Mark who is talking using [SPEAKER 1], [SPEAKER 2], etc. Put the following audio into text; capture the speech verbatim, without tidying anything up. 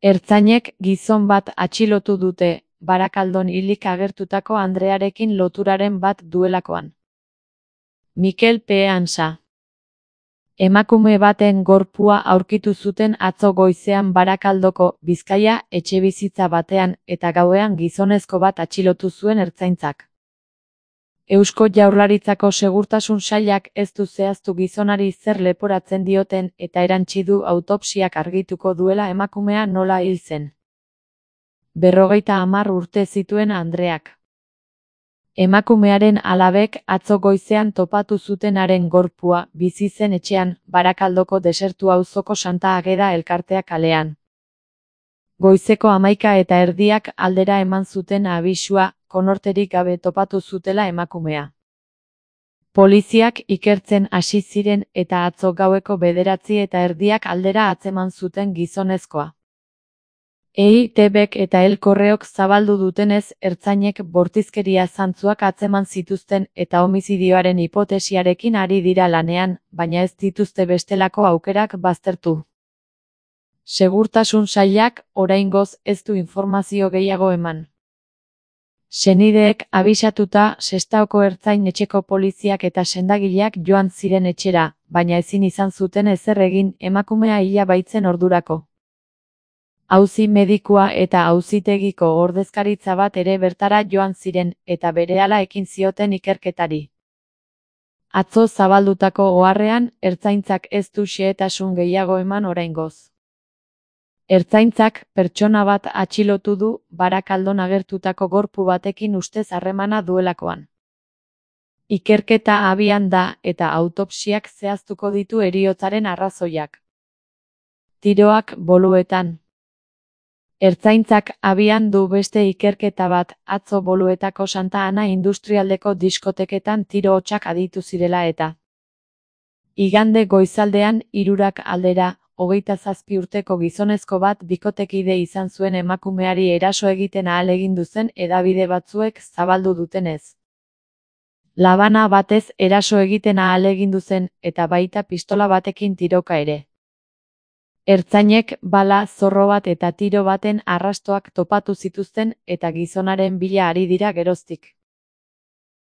[SPEAKER 1] Ertzainek gizon bat atxilotu dute, Barakaldon hilik agertutako andrearekin loturaren bat duelakoan. Mikel P. Ansa. Emakume baten gorpua aurkitu zuten atzo goizean Barakaldoko, Bizkaia, etxebizitza batean, eta gauean gizonezko bat atxilotu zuen ertzaintzak. Eusko Jaurlaritzako Segurtasun Sailak ez du zehaztu gizonari zer leporatzen dioten eta erantsi du autopsiak argituko duela emakumea nola hil zen. Berrogeita hamar urte zituen andreak. Emakumearen alabek atzo goizean topatu zutenaren gorpua bizi zen etxean, Barakaldoko Desertu auzoko Santa Ageda elkartea kalean. Goizeko hamaika eta erdiak aldera eman zuten abisua, konorterik gabe topatu zutela emakumea. Poliziak ikertzen hasi ziren eta atzo gaueko bederatzi eta erdiak aldera atzeman zuten gizonezkoa. E I T Bek eta El Correok zabaldu dutenez, ertzainek bortizkeria zantzuak atzeman zituzten eta homizidioaren hipotesiarekin ari dira lanean, baina ez dituzte bestelako aukerak baztertu. Segurtasun Sailak, oraingoz, ez du informazio gehiago eman. Senideek abisatuta Sestaoko ertzain etxeko poliziak eta sendagileak joan ziren etxera, baina ezin izan zuten ezer egin emakumea hila baitzen ordurako. Auzi medikua eta auzitegiko ordezkaritza bat ere bertara joan ziren, eta berehala ekin zioten ikerketari. Atzo zabaldutako oharrean, ertzaintzak ez du xehetasun gehiago eman oraingoz. Ertzaintzak pertsona bat atxilotu du, Barakaldon agertutako gorpu batekin ustez harremana duelakoan. Ikerketa abian da eta autopsiak zehaztuko ditu heriotzaren arrazoiak. Tiroak Boluetan. Ertzaintzak abian du beste ikerketa bat, atzo Boluetako Santa Ana industrialdeko diskoteketan tiro hotsak aditu zirela eta. Igande goizaldean, hirurak aldera, hogeita zazpi urteko gizonezko bat bikotekide izan zuen emakumeari eraso egiten ahalegindu zen hedabide batzuek zabaldu dutenez. Labana batez eraso egiten ahalegindu zen eta baita pistola batekin tiroka ere. Ertzainek bala, zorro bat eta tiro baten arrastoak topatu zituzten eta gizonaren bila ari dira geroztik.